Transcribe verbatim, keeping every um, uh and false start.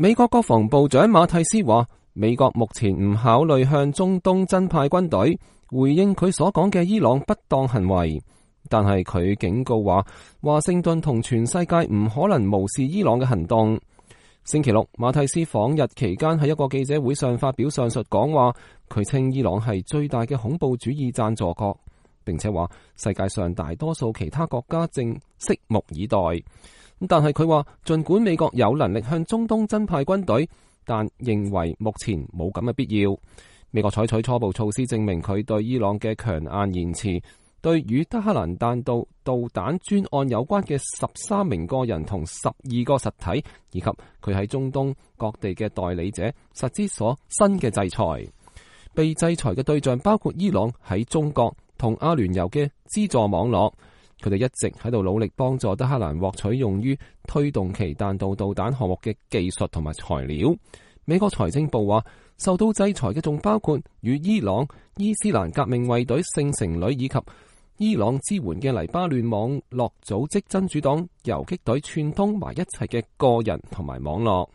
美國國防部長馬蒂斯話，美國目前唔考慮向中東增派軍隊，回應佢所講嘅伊朗不當行為。但係佢警告話，華盛頓同全世界唔可能無視伊朗嘅行動。星期六，馬蒂斯訪日期間喺一個記者會上發表上述講話，佢稱伊朗係最大嘅恐怖主義贊助國，並且話世界上大多數其他國家正拭目以待。但係佢話，盡管美國有能力向中東增派軍隊，但認為目前冇咁嘅必要。美國採取初步措施證明佢對伊朗嘅強硬言辭，對與德黑蘭彈道導彈專案有關嘅十三名個人同十二個實體，以及佢喺中東各地嘅代理者實施所新嘅制裁。被制裁嘅對象包括伊朗喺中國同阿聯酋嘅資助網絡。佢哋一直喺度努力幫助德黑蘭獲取用於推動其彈道導彈項目嘅技術同埋材料。美國財政部話，受到制裁嘅仲包括與伊朗伊斯蘭革命衛隊聖城旅以及伊朗支援嘅黎巴嫩網絡組織真主黨游擊隊串通埋一齊嘅個人同埋網絡。